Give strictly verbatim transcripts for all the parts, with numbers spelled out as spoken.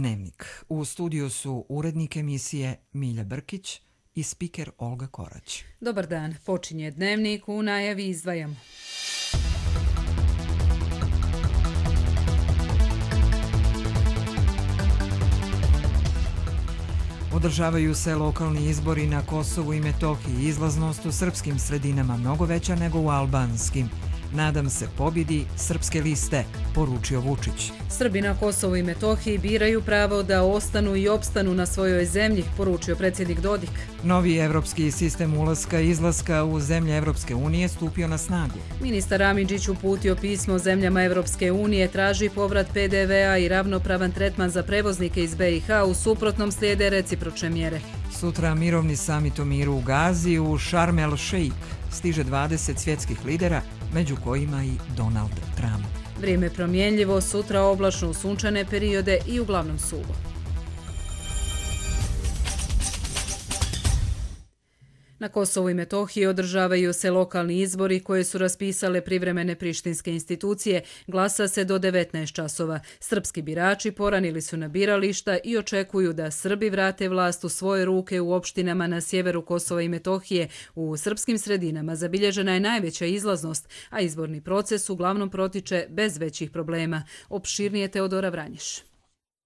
Dnevnik. U studiju su urednik emisije Milja Brkić i spiker Olga Korać. Dobar dan, počinje Dnevnik, u najavi izdvajamo. Održavaju se lokalni izbori na Kosovu i Metohiji. Izlaznost u srpskim sredinama mnogo veća nego u albanskim. Nadam se pobjedi srpske liste, poručio Vučić. Srbi na Kosovu i Metohiji biraju pravo da ostanu i opstanu na svojoj zemlji, poručio predsjednik Dodik. Novi evropski sistem ulaska i izlaska u zemlje Evropske unije stupio na snagu. Ministar Amidžić uputio pismo zemljama Evropske unije, traži povrat pe de ve a i ravnopravan tretman za prevoznike iz be i ha, u suprotnom slijede recipročne mjere. Sutra mirovni samit o miru u Gazi u Sharm el Sheikh. Stiže dvadeset svjetskih lidera, među kojima i Donald Trump. Vrijeme promjenljivo, sutra oblačno u sunčane periode i uglavnom suvo. Na Kosovu i Metohiji održavaju se lokalni izbori koje su raspisale privremene prištinske institucije. Glasa se do devetnaest časova. Srpski birači poranili su na birališta i očekuju da Srbi vrate vlast u svoje ruke u opštinama na sjeveru Kosova i Metohije. U srpskim sredinama zabilježena je najveća izlaznost, a izborni proces uglavnom protiče bez većih problema. Opširnije Teodora Vranješ.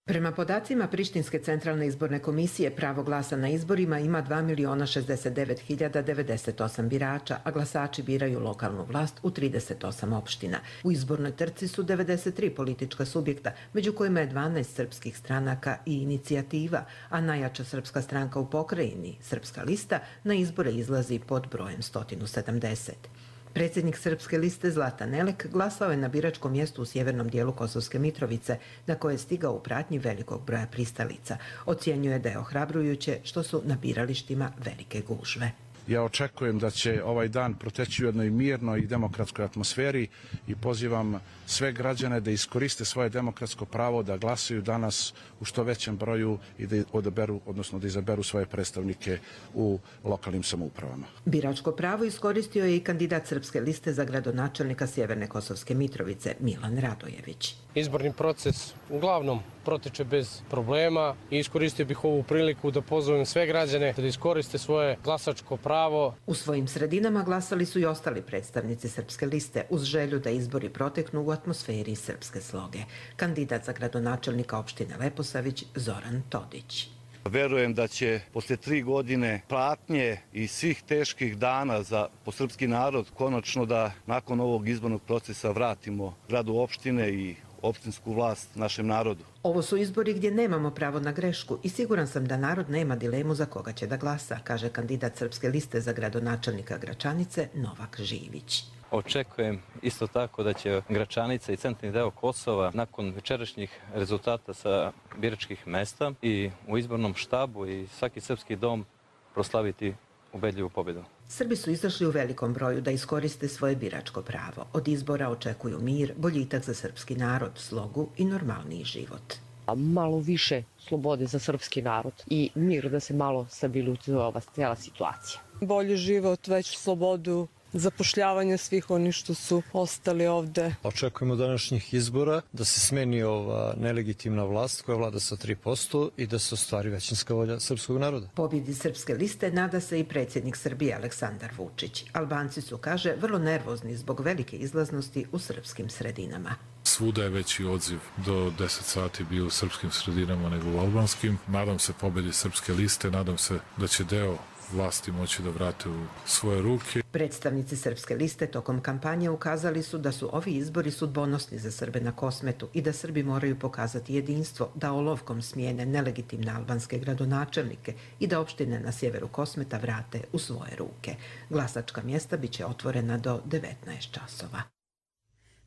Prema podacima Prištinske centralne izborne komisije, pravo glasa na izborima ima dva miliona šezdeset devet hiljada devedeset osam birača, a glasači biraju lokalnu vlast u trideset osam opština. U izbornoj trci su devedeset tri politička subjekta, među kojima je dvanaest srpskih stranaka i inicijativa, a najjača srpska stranka u pokrajini, Srpska lista, na izbore izlazi pod brojem sto sedamdeset. Predsjednik Srpske liste Zlatan Elek glasao je na biračkom mjestu u sjevernom dijelu Kosovske Mitrovice, na koje je stigao u pratnji velikog broja pristalica. Ocjenjuje da je ohrabrujuće što su na biralištima velike gužve. Ja očekujem da će ovaj dan proteći u jednoj mirnoj i demokratskoj atmosferi i pozivam sve građane da iskoriste svoje demokratsko pravo da glasaju danas u što većem broju i da odaberu, odnosno da izaberu svoje predstavnike u lokalnim samoupravama. Biračko pravo iskoristio je i kandidat Srpske liste za gradonačelnika Sjeverne Kosovske Mitrovice Milan Radojević. Izborni proces uglavnom protiče bez problema i iskoristio bih ovu priliku da pozovem sve građane da iskoriste svoje glasačko pravo. U svojim sredinama glasali su i ostali predstavnici Srpske liste uz želju da izbori proteknu u atmosferi srpske sloge. Kandidat za gradonačelnika opštine Leposavić Zoran Todić. Verujem da će posle tri godine pratnje i svih teških dana za posrpski narod konačno da nakon ovog izbornog procesa vratimo gradu opštine i opštinsku vlast našem narodu. Ovo su izbori gdje nemamo pravo na grešku i siguran sam da narod nema dilemu za koga će da glasa, kaže kandidat Srpske liste za gradonačelnika Gračanice Novak Živić. Očekujem isto tako da će Gračanica i centralni deo Kosova nakon večerašnjih rezultata sa biračkih mesta i u izbornom štabu i svaki srpski dom proslaviti ubedljivu pobjedu. Srbi su izašli u velikom broju da iskoriste svoje biračko pravo. Od izbora očekuju mir, boljitak za srpski narod, slogu i normalniji život. Malo više slobode za srpski narod i mir da se malo stabilizuje ova cijela situacija. Bolji život, veću slobodu, zapošljavanje svih oni što su ostali ovde. Očekujemo današnjih izbora da se smeni ova nelegitimna vlast koja vlada sa tri posto i da se ostvari većinska volja srpskog naroda. Pobjedi Srpske liste nada se i predsjednik Srbije Aleksandar Vučić. Albanci su, kaže, vrlo nervozni zbog velike izlaznosti u srpskim sredinama. Svuda je veći odziv, do deset sati bio u srpskim sredinama nego u albanskim. Nadam se pobjedi Srpske liste, nadam se da će deo vlasti moći da vrate u svoje ruke. Predstavnici Srpske liste tokom kampanje ukazali su da su ovi izbori sudbonosni za Srbe na Kosmetu i da Srbi moraju pokazati jedinstvo, da olovkom smijene nelegitimne albanske gradonačelnike i da opštine na sjeveru Kosmeta vrate u svoje ruke. Glasačka mjesta biće otvorena do devetnaest časova.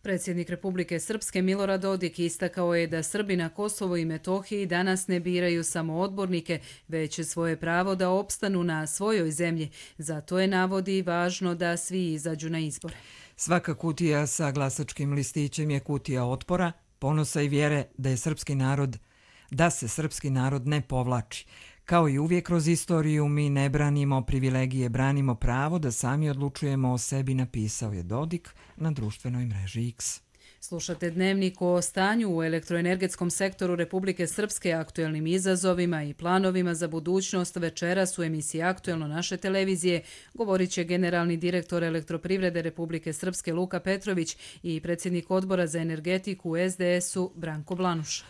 Predsjednik Republike Srpske Milorad Dodik istakao je da Srbi na Kosovu i Metohiji danas ne biraju samo odbornike, već svoje pravo da opstanu na svojoj zemlji. Zato je, navodi, važno da svi izađu na izbore. Svaka kutija sa glasačkim listićem je kutija otpora, ponosa i vjere da je srpski narod, da se srpski narod ne povlači. Kao i uvijek kroz istoriju, mi ne branimo privilegije, branimo pravo da sami odlučujemo o sebi, napisao je Dodik na društvenoj mreži X. Slušate dnevnik o stanju u elektroenergetskom sektoru Republike Srpske, aktuelnim izazovima i planovima za budućnost. Večeras u emisiji Aktuelno naše televizije govorit će generalni direktor Elektroprivrede Republike Srpske Luka Petrović i predsjednik odbora za energetiku u es de esu Branko Blanuša.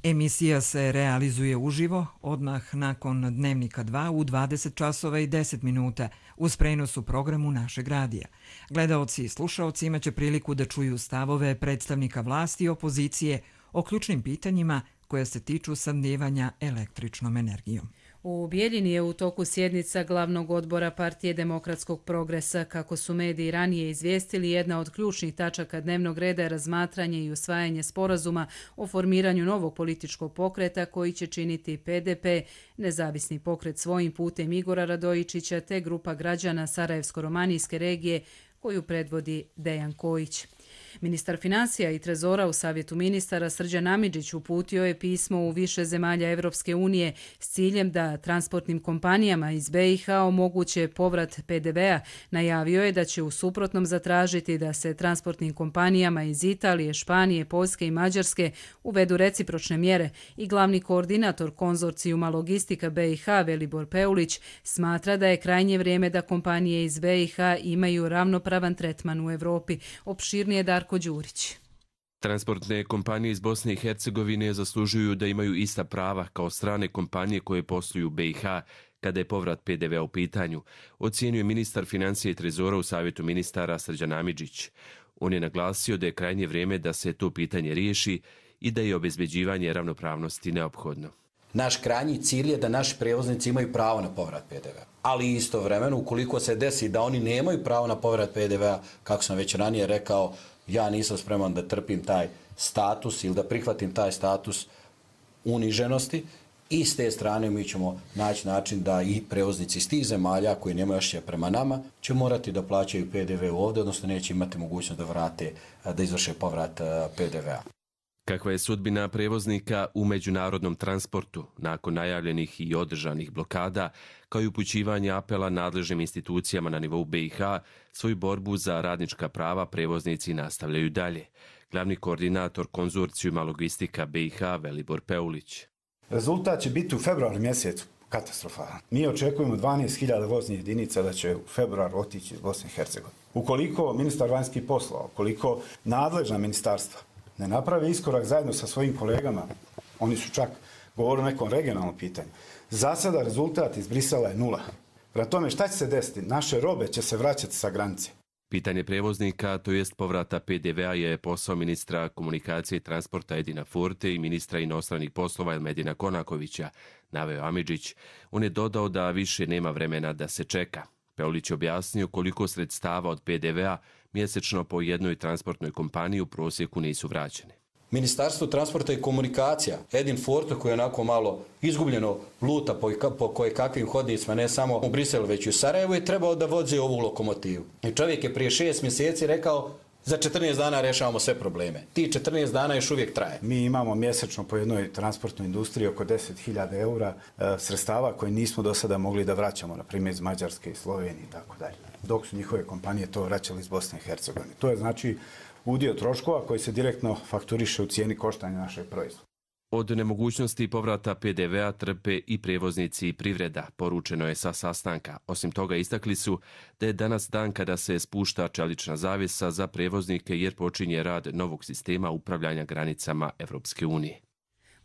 Emisija se realizuje uživo odmah nakon Dnevnika dva u dvadeset časova i deset minuta uz prenos u programu našeg radija. Gledaoci i slušaoci imaće priliku da čuju stavove predstavnika vlasti i opozicije o ključnim pitanjima koja se tiču snabdijevanja električnom energijom. U Bijeljini je u toku sjednica glavnog odbora Partije demokratskog progresa. Kako su mediji ranije izvijestili, jedna od ključnih tačaka dnevnog reda je razmatranje i usvajanje sporazuma o formiranju novog političkog pokreta koji će činiti pe de pe, nezavisni pokret svojim putem Igora Radojičića te grupa građana Sarajevsko-romanijske regije koju predvodi Dejan Kojić. Ministar financija i trezora u Savjetu ministara Srđan Amidžić uputio je pismo u više zemalja Evropske unije s ciljem da transportnim kompanijama iz be i ha omoguće povrat pe de vea. Najavio je da će u suprotnom zatražiti da se transportnim kompanijama iz Italije, Španije, Poljske i Mađarske uvedu recipročne mjere i glavni koordinator konzorcijuma logistika be i ha Velibor Peulić smatra da je krajnje vrijeme da kompanije iz be i ha imaju ravnopravan tretman u Evropi. Opširnije Darko Đurić. Transportne kompanije iz Bosne i Hercegovine zaslužuju da imaju ista prava kao strane kompanije koje posluju u be i ha kada je povrat pe de vea u pitanju, ocijenio ministar financija i trezora u Savjetu ministara Srđan Amidžić. On je naglasio da je krajnje vrijeme da se to pitanje riješi i da je obezbeđivanje ravnopravnosti neophodno. Naš krajnji cilj je da naši prevoznici imaju pravo na povrat pe de vea. Ali istovremeno, ukoliko se desi da oni nemaju pravo na povrat pe de vea, kako sam već ranije rekao, ja nisam spreman da trpim taj status ili da prihvatim taj status uniženosti i s te strane mi ćemo naći način da i prevoznici iz tih zemalja koji nemaju ošće prema nama će morati da plaćaju pe de ve ovdje, odnosno neće imati mogućnost da vrate, da izvrše povrat pe de vea. Kakva je sudbina prevoznika u međunarodnom transportu nakon najavljenih i održanih blokada, kao i upućivanje apela nadležnim institucijama na nivou be i ha, svoju borbu za radnička prava prevoznici nastavljaju dalje. Glavni koordinator konzorcijuma logistika be i ha Velibor Peulić. Rezultat će biti u februaru mjesecu katastrofalan. Mi očekujemo dvanaest hiljada voznih jedinica da će u februar otići iz Bosne i Hercegovine. Ukoliko ministar vanjskih poslova, ukoliko nadležna ministarstva ne naprave iskorak zajedno sa svojim kolegama, oni su čak govorili o nekom regionalnom pitanju. Za sada rezultat iz Brisela je nula. Prema tome, šta će se desiti? Naše robe će se vraćati sa granice. Pitanje prevoznika, to jest povrata pe de vea, je posao ministra komunikacije i transporta Edina Forte i ministra inostranih poslova Elmedina Konakovića, naveo Amidžić. On je dodao da više nema vremena da se čeka. Peulić je objasnio koliko sredstava od pe de vea mjesečno po jednoj transportnoj kompaniji u prosjeku nisu vraćene. Ministarstvo transporta i komunikacija, Edin Forte, koji je onako malo izgubljeno luta po, po koje kakvim hodnicima, ne samo u Briselu, već i u Sarajevu, je trebao da vozi ovu lokomotivu. I čovjek je prije šest mjeseci rekao za četrnaest dana rešavamo sve probleme. Ti četrnaest dana još uvijek traje. Mi imamo mjesečno po jednoj transportnoj industriji oko deset hiljada eura e, sredstava koje nismo do sada mogli da vraćamo, na primjer iz Mađarske i Slovenije i tako dalje. Dok su njihove kompanije to vraćali iz Bosne i Hercegovine. To je znači udio troškova koji se direktno fakturiše u cijeni koštanja našeg proizvoda. Od nemogućnosti povrata pe de vea trpe i prevoznici i privreda, poručeno je sa sastanka. Osim toga istakli su da je danas dan kada se spušta čelična zavjesa za prevoznike jer počinje rad novog sistema upravljanja granicama Evropske unije.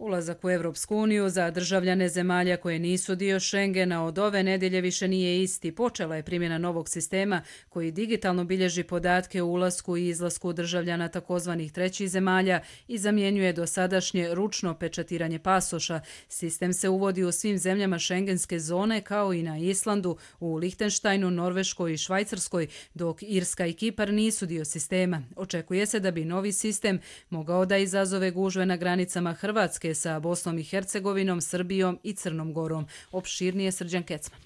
Ulazak u Evropsku uniju za državljane zemalja koje nisu dio Schengena od ove nedjelje više nije isti. Počela je primjena novog sistema koji digitalno bilježi podatke o ulasku i izlasku državljana takozvanih trećih zemalja i zamjenjuje dosadašnje ručno pečatiranje pasoša. Sistem se uvodi u svim zemljama šengenske zone kao i na Islandu, u Lihtenštajnu, Norveškoj i Švajcarskoj, dok Irska i Kipar nisu dio sistema. Očekuje se da bi novi sistem mogao da izazove gužve na granicama Hrvatske sa Bosnom i Hercegovinom, Srbijom i Crnom Gorom. Opširnije Srđan Kecman.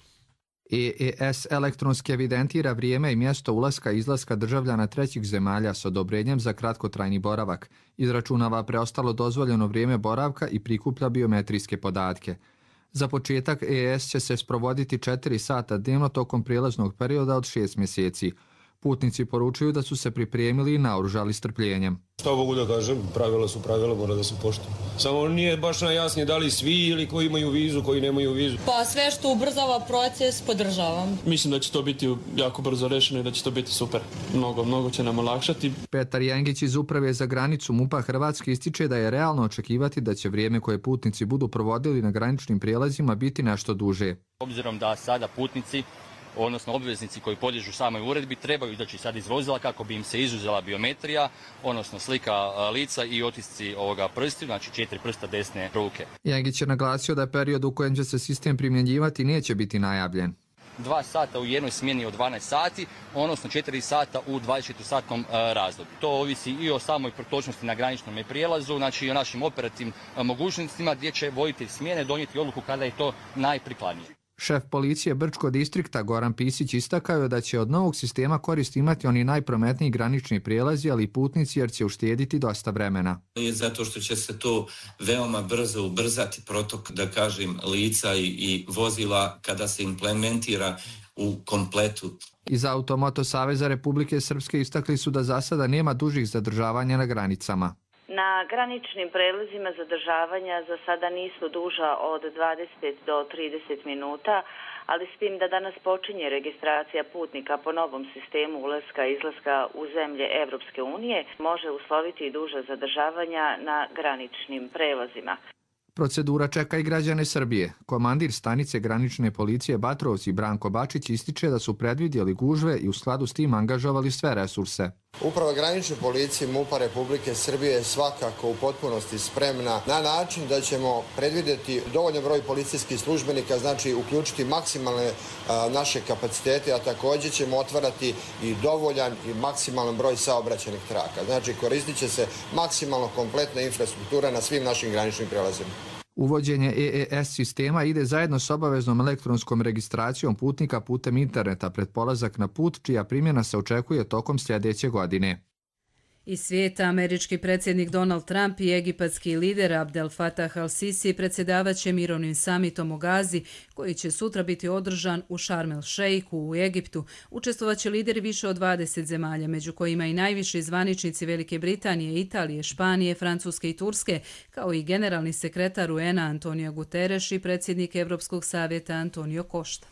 E E S elektronski evidentira vrijeme i mjesto ulaska i izlaska državljana trećih zemalja s odobrenjem za kratkotrajni boravak, izračunava preostalo dozvoljeno vrijeme boravka i prikuplja biometrijske podatke. Za početak E E S će se sprovoditi četiri sata dnevno tokom prijelaznog perioda od šest mjeseci. Putnici poručuju da su se pripremili i naoružali strpljenjem. Što mogu da kažem, pravila su pravila, mora da se poštuju. Samo nije baš najjasnije da li svi ili koji imaju vizu, koji nemaju vizu. Pa sve što ubrzava proces podržavam. Mislim da će to biti jako brzo rešeno i da će to biti super. Mnogo, mnogo će nam olakšati. Petar Jengić iz Uprave za granicu MUP-a Hrvatske ističe da je realno očekivati da će vrijeme koje putnici budu provodili na graničnim prijelazima biti nešto duže. Obzirom da sada putnici, odnosno obveznici koji podliježu samoj uredbi, trebaju izaći sad iz vozila kako bi im se izuzela biometrija, odnosno slika lica i otisci ovoga prstiju, znači četiri prsta desne ruke. Jengić je naglasio da period u kojem će se sistem primjenjivati neće biti najavljen. Dva sata u jednoj smjeni od dvanaest sati, odnosno četiri sata u dvadesetčetvorosatnom razdoblju. To ovisi i o samoj protočnosti na graničnom prijelazu, znači i o našim operativnim mogućnostima gdje će voditelj smjene donijeti odluku kada je to najprikladnije. Šef policije Brčko distrikta Goran Pisić istakao je da će od novog sistema korist imati oni najprometniji granični prijelazi, ali i putnici, jer će uštediti dosta vremena. Zato što će se to veoma brzo ubrzati protok, da kažem, lica i, i vozila kada se implementira u kompletu. Iz Automoto Saveza Republike Srpske istakli su da za sada nema dužih zadržavanja na granicama. Na graničnim prelazima zadržavanja za sada nisu duža od dvadeset do trideset minuta, ali s tim da danas počinje registracija putnika po novom sistemu ulaska i izlaska u zemlje Evropske unije, može usloviti i duža zadržavanja na graničnim prelazima. Procedura čeka i građane Srbije. Komandir stanice granične policije Batrovci Branko Bačić ističe da su predvidjeli gužve i u skladu s tim angažovali sve resurse. Uprava granične policije MUP-a Republike Srbije je svakako u potpunosti spremna na način da ćemo predvidjeti dovoljan broj policijskih službenika, znači uključiti maksimalne a, naše kapacitete, a također ćemo otvarati i dovoljan i maksimalan broj saobraćajnih traka. Znači koristit će se maksimalno kompletna infrastruktura na svim našim graničnim prelazima. Uvođenje E E S sistema ide zajedno s obaveznom elektronskom registracijom putnika putem interneta pred polazak na put, čija primjena se očekuje tokom sljedeće godine. Iz svijeta američki predsjednik Donald Trump i egipatski lider Abdel Fattah al-Sisi predsjedavat će mirovnim samitom u Gazi, koji će sutra biti održan u Sharm el-Sheikhu u Egiptu. Učestvovat će lideri više od dvadeset zemalja, među kojima i najviši zvaničnici Velike Britanije, Italije, Španije, Francuske i Turske, kao i generalni sekretar U N-a Antonio Guterres i predsjednik Evropskog savjeta Antonio Costa.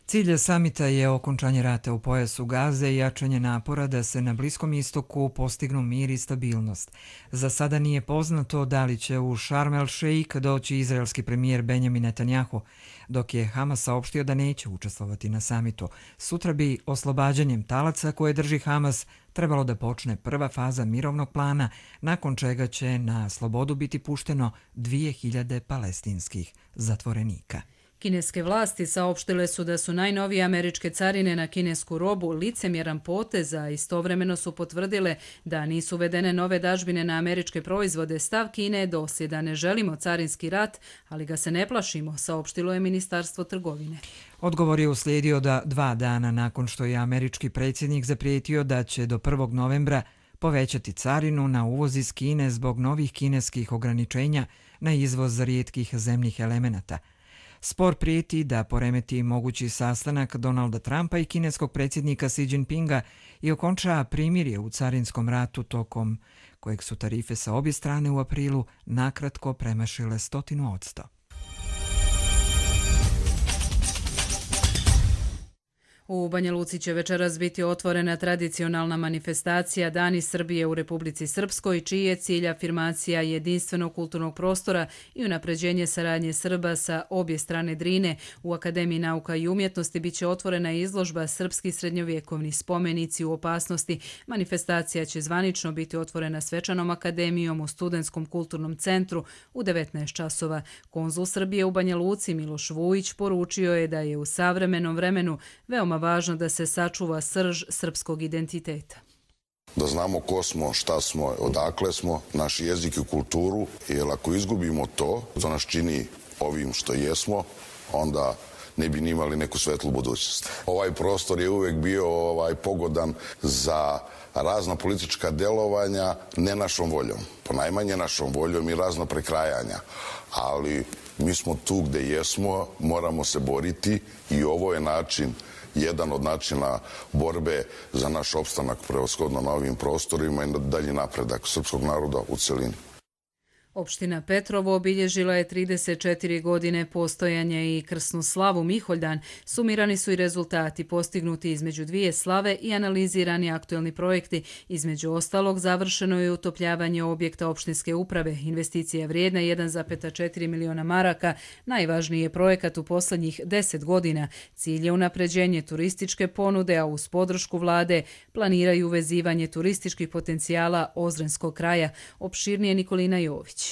Cilj samita je okončanje rata u pojasu Gaze i jačanje napora da se na Bliskom istoku postignu mir i stabilnost. Za sada nije poznato da li će u Sharm el-Sheikh doći izraelski premijer Benjamin Netanjahu, dok je Hamas saopštio da neće učestvovati na samitu. Sutra bi oslobađanjem talaca koje drži Hamas trebalo da počne prva faza mirovnog plana, nakon čega će na slobodu biti pušteno dvije hiljade palestinskih zatvorenika. Kineske vlasti saopštile su da su najnovije američke carine na kinesku robu licemjeran potez, a istovremeno su potvrdile da nisu uvedene nove dažbine na američke proizvode. Stav Kine je dosljedan: ne želimo carinski rat, ali ga se ne plašimo, saopštilo je Ministarstvo trgovine. Odgovor je uslijedio da dva dana nakon što je američki predsjednik zaprijetio da će do prvog novembra povećati carinu na uvoz iz Kine zbog novih kineskih ograničenja na izvoz rijetkih zemljih elemenata. Spor prijeti da poremeti mogući sastanak Donalda Trumpa i kineskog predsjednika Xi Jinpinga i okonča primirje u carinskom ratu tokom kojeg su tarife sa obje strane u aprilu nakratko premašile stotinu odsto. U Banja Luci će večeras biti otvorena tradicionalna manifestacija Dani Srbije u Republici Srpskoj, čiji je cilj afirmacija jedinstvenog kulturnog prostora i unapređenje saradnje Srba sa obje strane Drine. U Akademiji nauka i umjetnosti biće otvorena izložba Srpski srednjovjekovni spomenici u opasnosti. Manifestacija će zvanično biti otvorena svečanom akademijom u Studentskom kulturnom centru u devetnaest časova. Konzul Srbije u Banja Luci Miloš Vujić poručio je da je u savremenom vremenu veoma važno da se sačuva srž srpskog identiteta. Da znamo ko smo, šta smo, odakle smo, naš jezik i kulturu, jer ako izgubimo to, to nas čini ovim što jesmo, onda ne bi ni imali neku svetlu budućnost. Ovaj prostor je uvek bio ovaj, pogodan za razna politička delovanja, ne našom voljom, ponajmanje našom voljom i razno prekrajanja, ali Mi smo tu gde jesmo, moramo se boriti i ovo je način, jedan od načina borbe za naš opstanak prevashodno na ovim prostorima i dalji napredak srpskog naroda u celini. Opština Petrovo obilježila je trideset četiri godine postojanja i krsnu slavu Miholjdan. Sumirani su i rezultati postignuti između dvije slave i analizirani aktuelni projekti. Između ostalog, završeno je utopljavanje objekta opštinske uprave. Investicija vrijedna jedan zarez četiri miliona maraka. Najvažniji je projekat u poslednjih deset godina. Cilj je unapređenje turističke ponude, a uz podršku vlade planiraju uvezivanje turističkih potencijala Ozrenskog kraja. Opširnije Nikolina Jović.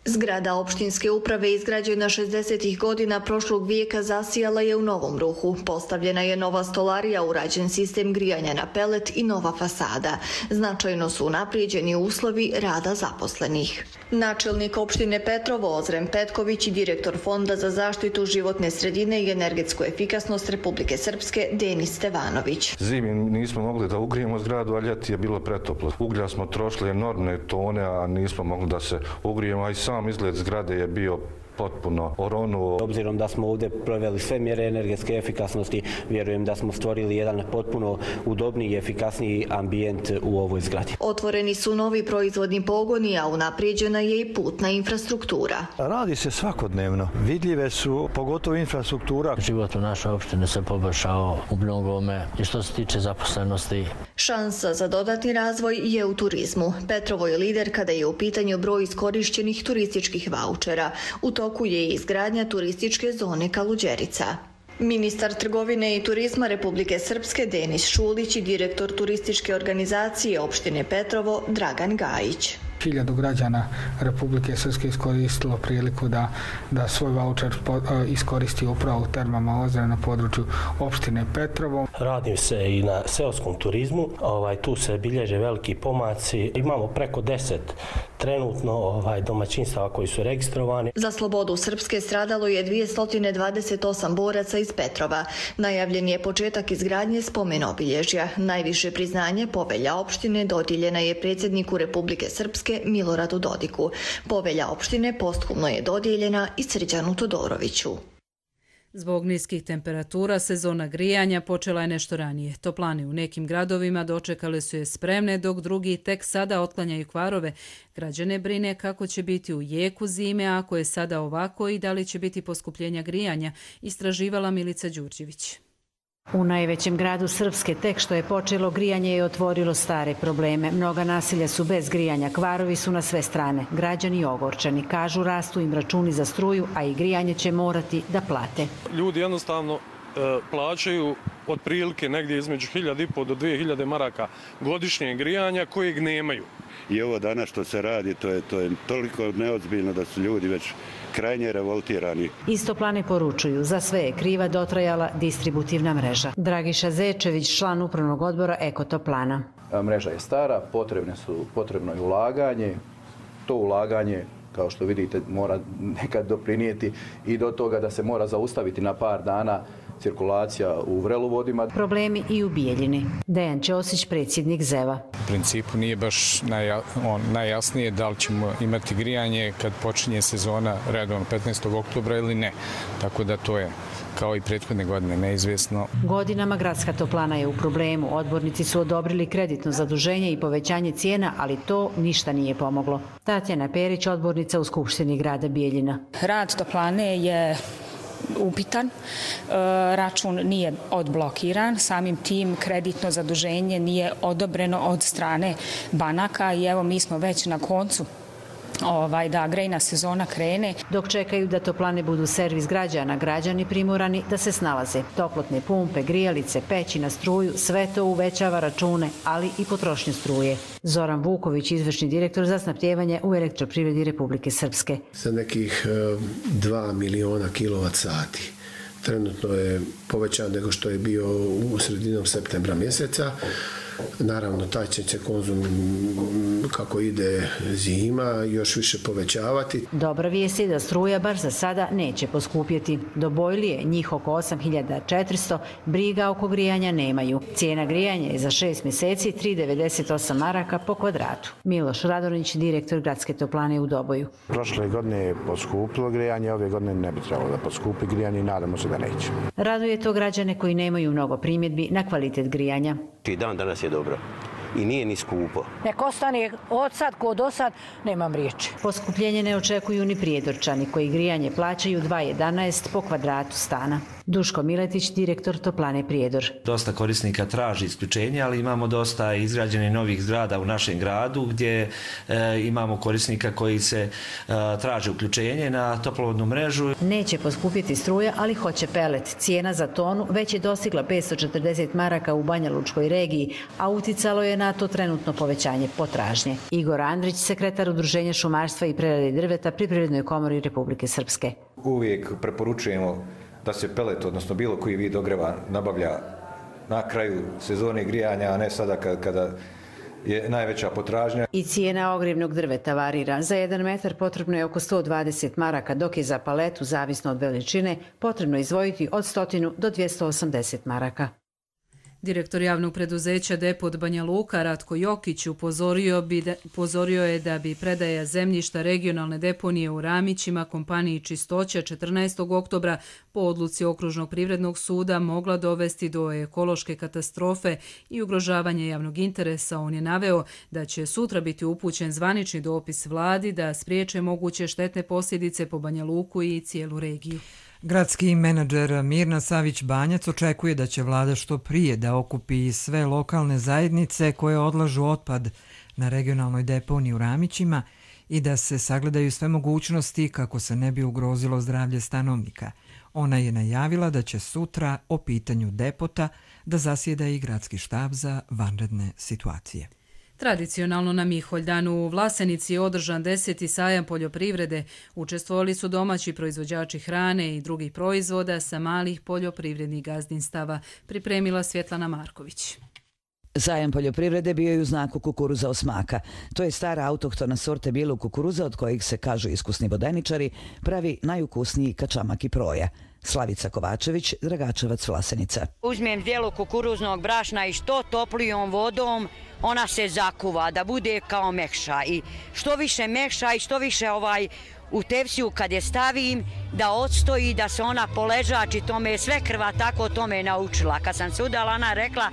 Zgrada opštinske uprave izgrađena šezdesetih godina prošlog vijeka zasijala je u novom ruhu. Postavljena je nova stolarija, urađen sistem grijanja na pelet i nova fasada. Značajno su unaprijeđeni uslovi rada zaposlenih. Načelnik opštine Petrovo Ozren Petković i direktor Fonda za zaštitu životne sredine i energetsku efikasnost Republike Srpske Denis Stevanović. Zimi nismo mogli da ugrijemo zgradu, a ljeti je bilo pretoplo. Uglja smo trošili enormne tone, a nismo mogli da se ugrijemo, a i sam izgled zgrade je bio potpuno oronuo. Obzirom da smo ovdje proveli sve mjere energetske efikasnosti, vjerujem da smo stvorili jedan potpuno udobniji i efikasniji ambijent u ovoj zgradi. Otvoreni su novi proizvodni pogoni, a unaprijeđena je i putna infrastruktura. Radi se svakodnevno. Vidljive su pogotovo infrastruktura. Život u našoj opštini se poboljšao u mnogome i što se tiče zaposlenosti. Šansa za dodatni razvoj je u turizmu. Petrovo je lider kada je u pitanju broj iskorišćenih turističkih vaučera. U toku je i izgradnja turističke zone Kaluđerica. Ministar trgovine i turizma Republike Srpske Denis Šulić i direktor turističke organizacije opštine Petrovo Dragan Gajić. Hiljadu građana Republike Srpske iskoristilo priliku da, da svoj vaučer iskoristi upravo u termama Ozren na području opštine Petrovo. Radi se i na seoskom turizmu, ovaj, tu se bilježe veliki pomaci. Imamo preko deset trenutno ovaj, domaćinstava koji su registrovani. Za slobodu Srpske stradalo je dvjesto dvadeset osam boraca iz Petrova. Najavljen je početak izgradnje spomen obilježja. Najviše priznanje povelja opštine dodijeljena je predsjedniku Republike Srpske Miloradu Dodiku. Povelja opštine posthumno je dodijeljena i Srđanu Todoroviću. Zbog niskih temperatura sezona grijanja počela je nešto ranije. Toplane u nekim gradovima dočekale su je spremne, dok drugi tek sada otklanjaju kvarove. Građane brine kako će biti u jeku zime, ako je sada ovako i da li će biti poskupljenja grijanja, istraživala Milica Đurđević. U najvećem gradu Srpske tek što je počelo grijanje je otvorilo stare probleme. Mnoga naselja su bez grijanja, kvarovi su na sve strane. Građani ogorčani, kažu rastu im računi za struju, a i grijanje će morati da plate. Ljudi jednostavno e, plaćaju otprilike negdje između hiljadu i po do dvije hiljade maraka godišnje grijanja kojeg nemaju. I ovo danas što se radi, to je, to je toliko neozbiljno da su ljudi već krajnje revoltirani. Iz Toplane poručuju, za sve je kriva dotrajala distributivna mreža. Dragiša Zečević, član upravnog odbora Eko Toplana. Mreža je stara, potrebne su, potrebno je ulaganje. To ulaganje, kao što vidite, mora nekad doprinijeti i do toga da se mora zaustaviti na par dana cirkulacija u vrelovodima. Problemi i u Bijeljini. Dejan Ćosić, predsjednik Zeva. U principu nije baš naja, on, najjasnije da li ćemo imati grijanje kad počinje sezona redovno petnaestog oktobra ili ne. Tako da to je kao i prethodne godine neizvjesno. Godinama gradska toplana je u problemu. Odbornici su odobrili kreditno zaduženje i povećanje cijena, ali to ništa nije pomoglo. Tatjana Perić, odbornica u Skupštini grada Bijeljina. Rad toplane je upitan, račun nije odblokiran, samim tim kreditno zaduženje nije odobreno od strane banaka i evo mi smo već na koncu Ovaj, da grejna sezona krene. Dok čekaju da toplane budu servis građana, građani primorani da se snalaze. Toplotne pumpe, grijalice, peći na struju, sve to uvećava račune, ali i potrošnju struje. Zoran Vuković, izvršni direktor za snabdijevanje u Elektroprivredi Republike Srpske. Za nekih dva miliona kilovat sati. Trenutno je povećan nego što je bio u sredinom septembra mjeseca. Naravno, taj će se konzum kako ide zima još više povećavati. Dobra vijest je da struja bar za sada neće poskupjeti. Do bojlije, njih oko osam hiljada četiristo, briga oko grijanja nemaju. Cijena grijanja je za šest mjeseci tri zarez devedeset osam maraka po kvadratu. Miloš Radonić, direktor Gradske toplane u Doboju. Prošle godine je poskupilo grijanje, ove godine ne bi trebalo da poskupi grijanje i nadamo se da neće. Raduje to građane koji nemaju mnogo primjedbi na kvalitet grijanja. I dan danas je dobro. I nije ni skupo. Nek ostane od sad ko do sad, nemam riječi. Poskupljenje ne očekuju ni Prijedorčani koji grijanje plaćaju dva zarez jedanaest po kvadratu stana. Duško Miletić, direktor Toplane Prijedor. Dosta korisnika traži isključenje, ali imamo dosta izgrađenih novih zgrada u našem gradu gdje e, imamo korisnika koji se e, traže uključenje na toplovodnu mrežu. Neće poskupiti struja, ali hoće pelet. Cijena za tonu već je dostigla petsto četrdeset maraka u Banja Lučkoj regiji, a uticalo je na to trenutno povećanje potražnje. Igor Andrić, sekretar Udruženja šumarstva i prerade drveta pri Privrednoj komori Republike Srpske. Uvijek preporučujemo da se pelet, odnosno bilo koji vid ogreva, nabavlja na kraju sezone grijanja, a ne sada kada je najveća potražnja. I cijena ogrjevnog drveta varira. Za jedan metar potrebno je oko sto dvadeset maraka, dok je za paletu, zavisno od veličine, potrebno izdvojiti od sto do dvjesto osamdeset maraka. Direktor javnog preduzeća Depot Banja Luka Ratko Jokić upozorio, bi da, upozorio je da bi predaja zemljišta regionalne deponije u Ramićima kompaniji Čistoća četrnaestog oktobra po odluci Okružnog privrednog suda mogla dovesti do ekološke katastrofe i ugrožavanja javnog interesa. On je naveo da će sutra biti upućen zvanični dopis vladi da spriječe moguće štetne posljedice po Banja Luku i cijelu regiju. Gradski menadžer Mirna Savić-Banjac očekuje da će vlada što prije da okupi sve lokalne zajednice koje odlažu otpad na regionalnoj deponiji u Ramićima i da se sagledaju sve mogućnosti kako se ne bi ugrozilo zdravlje stanovnika. Ona je najavila da će sutra o pitanju depota da zasjeda i gradski štab za vanredne situacije. Tradicionalno na Miholjdanu u Vlasenici je održan deseti sajam poljoprivrede. Učestvovali su domaći proizvođači hrane i drugih proizvoda sa malih poljoprivrednih gazdinstava, pripremila Svjetlana Marković. Sajam poljoprivrede bio je u znaku kukuruza osmaka. To je stara autohtona sorte bijelog kukuruza od kojih se, kažu iskusni vodeničari, pravi najukusniji kačamak i proja. Slavica Kovačević, Dragačevac, Vlasenica. Uzmem dijelo kukuruznog brašna i što toplijom vodom ona se zakuva da bude kao mekša. I što više mekša i što više ovaj u tepsiju kad je stavim da odstoji, da se ona poležači, to me je sve krva tako to me je naučila. Kad sam se udala, ona rekla,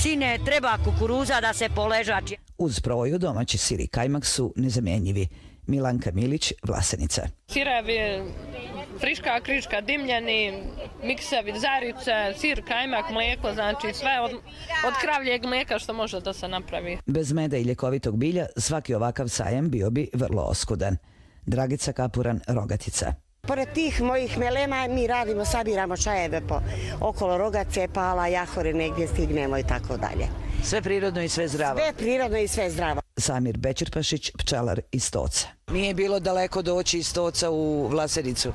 sine, treba kukuruza da se poležači. Uz proju domaći sir i kajmak su nezamjenjivi. Milanka Milić, Vlasenica. Sirevi, friška, kriška, dimljeni, miksevi, zarice, sir, kajmak, mlijeko, znači sve od, od kravljeg mlijeka što može da se napravi. Bez meda i ljekovitog bilja svaki ovakav sajam bio bi vrlo oskudan. Dragica Kapuran, Rogatica. Pored tih mojih melema mi radimo, sabiramo čajeve po okolo Rogace, Pala, Jahore, negdje stignemo i tako dalje. Sve prirodno i sve zdravo. Sve prirodno i sve zdravo. Samir Bećirpašić, pčelar iz Stoca. Nije bilo daleko doći iz Stoca u Vlasenicu?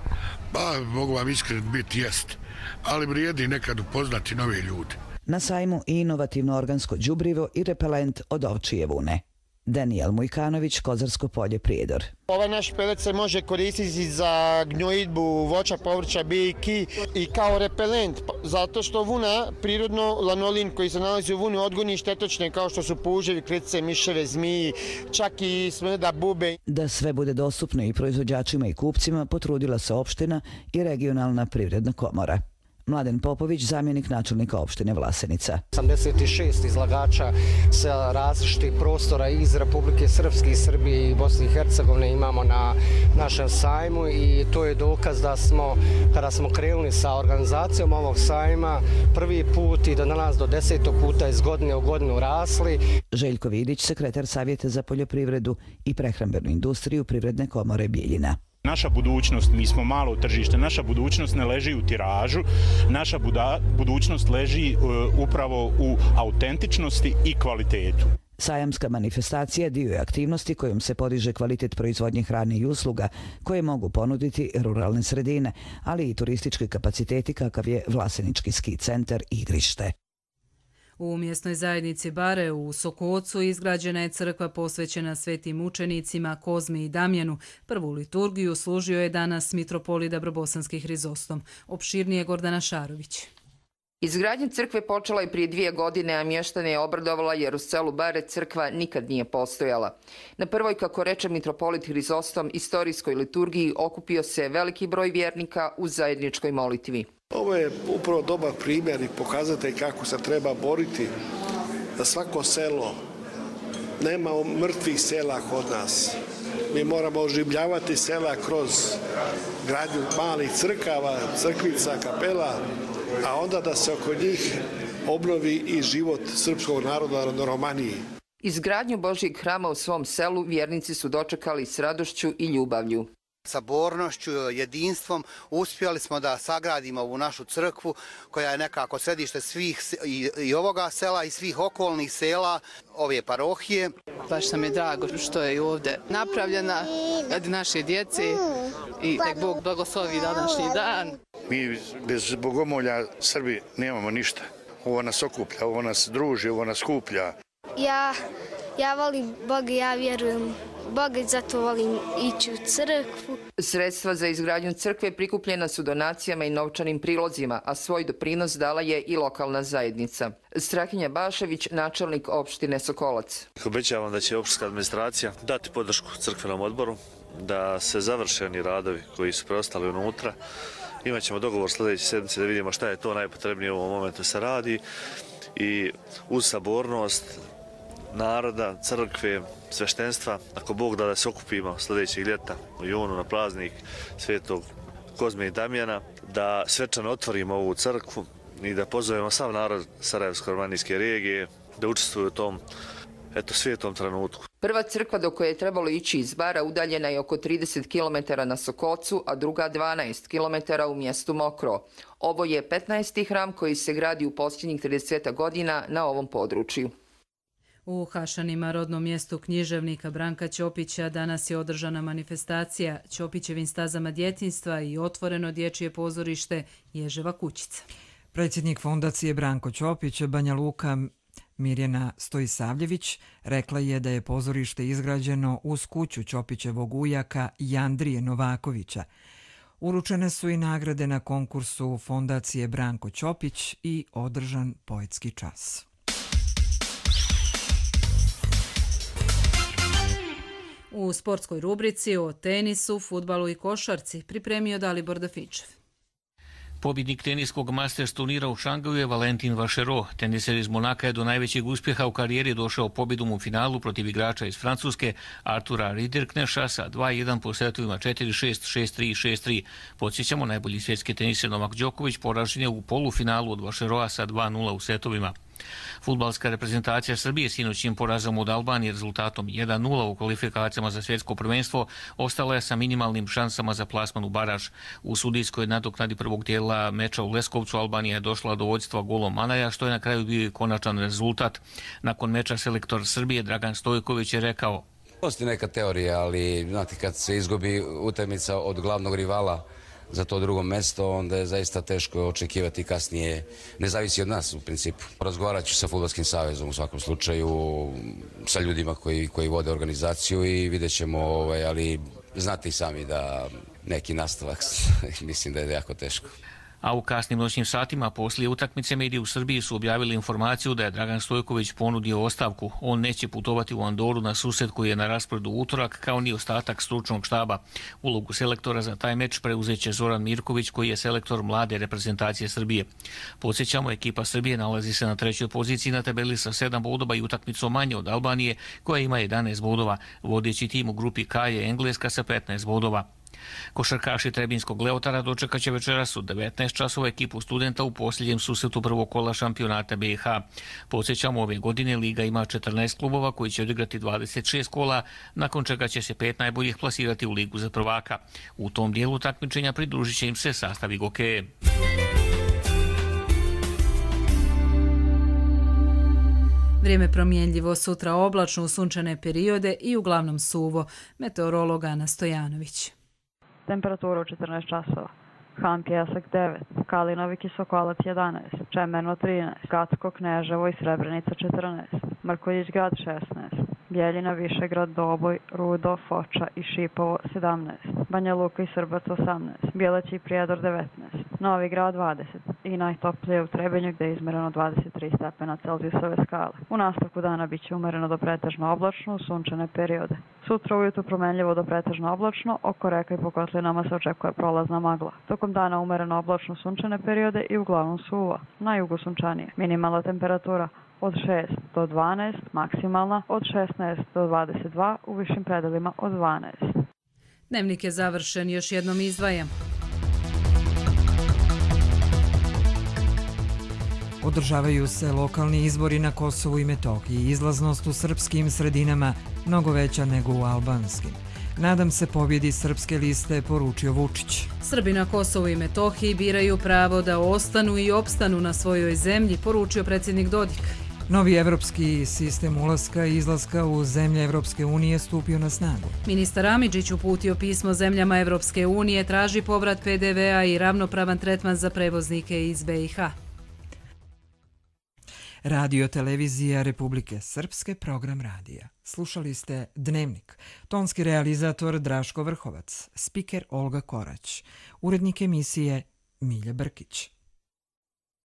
Pa, mogu vam iskren biti, jest. Ali vrijedi nekad upoznati nove ljude. Na sajmu i inovativno organsko đubrivo i repelent od ovčije vune. Danijel Mujkanović, Kozarsko polje, Prijedor. Ovaj naš pelet se može koristiti za gnojidbu voća, povrća, biljki i kao repelent, zato što vuna, prirodno lanolin koji se nalazi u vuni, odgoni štetočne kao što su puževi, kletice, miševe, zmiji, čak i smrda, bube. Da sve bude dostupno i proizvođačima i kupcima, potrudila se opština i regionalna privredna komora. Mladen Popović, zamjenik načelnika opštine Vlasenica. osamdeset šest izlagača sa različitih prostora iz Republike Srpske, i Srbije i Bosne i Hercegovine imamo na našem sajmu i to je dokaz da smo, kada smo krenuli sa organizacijom ovog sajma, prvi put i do danas do desetog puta iz godine u godinu rasli. Željko Vidić, sekretar Savjeta za poljoprivredu i prehrambenu industriju Privredne komore Bijeljina. Naša budućnost, mi smo malo tržište, naša budućnost ne leži u tiražu, naša buda, budućnost leži uh, upravo u autentičnosti i kvalitetu. Sajamska manifestacija dio je aktivnosti kojom se podiže kvalitet proizvodnje hrane i usluga koje mogu ponuditi ruralne sredine, ali i turistički kapaciteti kakav je Vlasenički ski centar i igrište. U mjesnoj zajednici Bare u Sokocu izgrađena je crkva posvećena svetim mučenicima Kozmi i Damjanu. Prvu liturgiju služio je danas mitropolita Brbosanski Hrizostom. Opširnije Gordana Šarović. Izgradnja crkve počela je prije dvije godine, a mještane je obradovala jer u selu Bare crkva nikad nije postojala. Na prvoj, kako reče mitropolit Hrizostom, istorijskoj liturgiji okupio se veliki broj vjernika u zajedničkoj molitvi. Ovo je upravo dobar primjer i pokazatelj kako se treba boriti za svako selo. Nema mrtvih sela kod nas. Mi moramo oživljavati sela kroz gradnju malih crkava, crkvica, kapela, a onda da se oko njih obnovi i život srpskog naroda na Romaniji. Izgradnju Božjeg hrama u svom selu vjernici su dočekali s radošću i ljubavlju. Sabornošću, jedinstvom uspjeli smo da sagradimo ovu našu crkvu koja je nekako središte svih i, i ovoga sela i svih okolnih sela ove parohije. Baš nam je drago što je ovdje napravljena radi naše djece i nek Bog blagoslovi današnji dan. Mi bez bogomolja Srbi nemamo ništa. Ovo nas okuplja, ovo nas druži, ovo nas skuplja. Ja, ja volim Boga, ja vjerujem Boga i zato volim ići u crkvu. Sredstva za izgradnju crkve prikupljena su donacijama i novčanim prilozima, a svoj doprinos dala je i lokalna zajednica. Strahinja Bašević, načelnik opštine Sokolac. Obećavam da će opštinska administracija dati podršku crkvenom odboru, da se završeni radovi koji su preostali unutra. Imaćemo dogovor sljedeće sedmice da vidimo šta je to najpotrebnije u ovom momentu se radi i uz sabornost naroda, crkve, sveštenstva, ako Bog da da se okupimo sljedećeg ljeta u junu na praznik svetog Kozme i Damjana, da svečano otvorimo ovu crkvu i da pozovemo sav narod Sarajevsko-romanijske regije da učestvuju u tom eto, svijetom trenutku. Prva crkva do koje je trebalo ići iz Bara udaljena je oko trideset kilometara na Sokocu, a druga dvanaest kilometara u mjestu Mokro. Ovo je petnaesti hram koji se gradi u posljednjih trideset godina na ovom području. U Hašanima, rodnom mjestu književnika Branka Ćopića, danas je održana manifestacija Ćopićevim stazama djetinjstva i otvoreno dječje pozorište Ježeva kućica. Predsjednik fondacije Branko Ćopić, Banja Luka Mirjana Stojisavljević, rekla je da je pozorište izgrađeno uz kuću Ćopićevog ujaka Jandrije Novakovića. Uručene su i nagrade na konkursu fondacije Branko Ćopić i održan poetski čas. U sportskoj rubrici o tenisu, fudbalu i košarci pripremio Dalibor Dafičev. Pobjednik teniskog Masters turnira u Šangaju je Valentin Vašero. Teniser iz Monaka je do najvećeg uspjeha u karijeri došao pobjedom u finalu protiv igrača iz Francuske Artura Ridderkneša sa dva jedan po setovima četiri šest, šest tri, šest tri. Podsjećamo, najbolji svjetski teniser Novak Đoković poražen je u polufinalu od Vašeroa sa dva nula u setovima. Fudbalska reprezentacija Srbije sinoćnim porazom od Albanije rezultatom jedan nula u kvalifikacijama za svjetsko prvenstvo ostala je sa minimalnim šansama za plasman u baraž. U sudijskoj nadoknadi prvog dijela meča u Leskovcu Albanija je došla do vođstva golom Manaja, što je na kraju bio i konačan rezultat. Nakon meča selektor Srbije Dragan Stojković je rekao: Postoji neka teorija, ali znate, kad se izgubi utakmica od glavnog rivala za to drugo mjesto, onda je zaista teško očekivati kasnije. Ne zavisi od nas u principu. Razgovarat ću sa Fudbalskim savezom u svakom slučaju, sa ljudima koji, koji vode organizaciju i vidjet ćemo, ovaj, ali znate i sami da neki nastavak mislim da je jako teško. A u kasnim noćnim satima poslije utakmice mediji u Srbiji su objavili informaciju da je Dragan Stojković ponudio ostavku. On neće putovati u Andoru na susret koji je na rasporedu utorak, kao ni ostatak stručnog štaba. Ulogu selektora za taj meč preuzeće Zoran Mirković, koji je selektor mlade reprezentacije Srbije. Podsjećamo, ekipa Srbije nalazi se na trećoj poziciji na tabeli sa sedam bodova i utakmicom manje od Albanije, koja ima jedanaest bodova. Vodeći tim u grupi K je Engleska sa petnaest bodova. Košarkaši Trebinskog Leotara dočekaće večeras u devetnaest časova ekipu Studenta u posljednjem susretu prvog kola šampionata B i H. Podsjećamo, ove godine Liga ima četrnaest klubova koji će odigrati dvadeset šest kola, nakon čega će se pet najboljih plasirati u Ligu za prvaka. U tom dijelu takmičenja pridružit će im se sastav Igokeje. Vrijeme promjenljivo, sutra oblačno u sunčane periode i uglavnom suvo. Meteorolog Ana Stojanović. Temperatura u četrnaest časova. Han Pjesak devet, Kalinovi Kisokolac jedanaest, Čemerno trinaest, Gacko Kneževo i Srebrenica četrnaest, Mrkoljić grad šesnaest, Bjeljina Višegrad Doboj, Rudo, Foča i Šipovo sedamnaest, Banja Luka i Srbac osamnaest, Bjeleć i Prijedor devetnaest, Novi Grad dvadeset i najtoplije u Trebinju gdje je izmereno dvadeset tri stepena Celzijusove skale. U nastavku dana bit će umereno do pretežno oblačno u sunčane periode. Sutra ujutru promenljivo do pretežno oblačno, oko reka i po kotlinama se očekuje prolazna magla. Tokom dana umereno oblačno sunčane periode i uglavnom suvo, na jugu sunčanije. Minimalna temperatura od šest do dvanaest, maksimalna od šesnaest do dvadeset dva, u višim predelima od dvanaest. Dnevnik je završen, još jednom izdvajam. Održavaju se lokalni izbori na Kosovu i Metohiji. Izlaznost u srpskim sredinama mnogo veća nego u albanskim. Nadam se pobjedi srpske liste, poručio Vučić. Srbi na Kosovu i Metohiji biraju pravo da ostanu i opstanu na svojoj zemlji, poručio predsjednik Dodik. Novi evropski sistem ulaska i izlaska u zemlje Evropske unije stupio na snagu. Ministar Amidžić uputio pismo zemljama Evropske unije, traži povrat P D V-a i ravnopravan tretman za prevoznike iz B i H. Radio televizija Republike Srpske, program radija. Slušali ste Dnevnik. Tonski realizator Draško Vrhovac, spiker Olga Korać, urednik emisije Milja Brkić.